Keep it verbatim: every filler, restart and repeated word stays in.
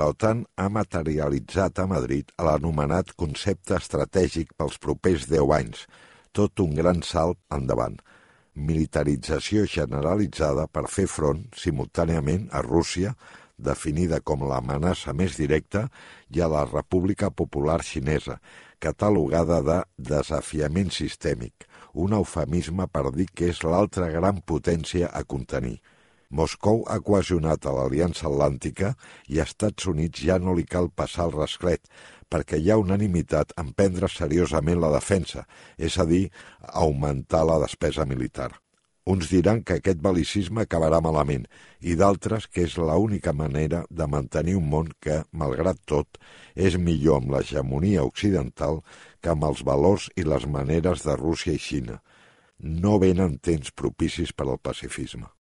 L'OTAN ha materialitzat a Madrid l'anomenat concepte estratègic pels propers deu anys, tot un gran salt endavant. Militarització generalitzada per fer front, simultàniament, a Rússia, definida com l'amenaça més directa, i a la República Popular Xinesa, catalogada de desafiament sistèmic, un eufemisme per dir que és l'altra gran potència a contenir. Moscou ha cohesionat a l'Aliança Atlàntica i a Estats Units ja no li cal passar el rasclet, perquè hi ha unanimitat en prendre seriosament la defensa, és a dir, augmentar la despesa militar. Uns diran que aquest bel·licisme acabarà malament i d'altres que és l'única manera de mantenir un món que, malgrat tot, és millor amb l'hegemonia occidental que amb els valors i les maneres de Rússia i Xina. No venen temps propicis per al pacifisme.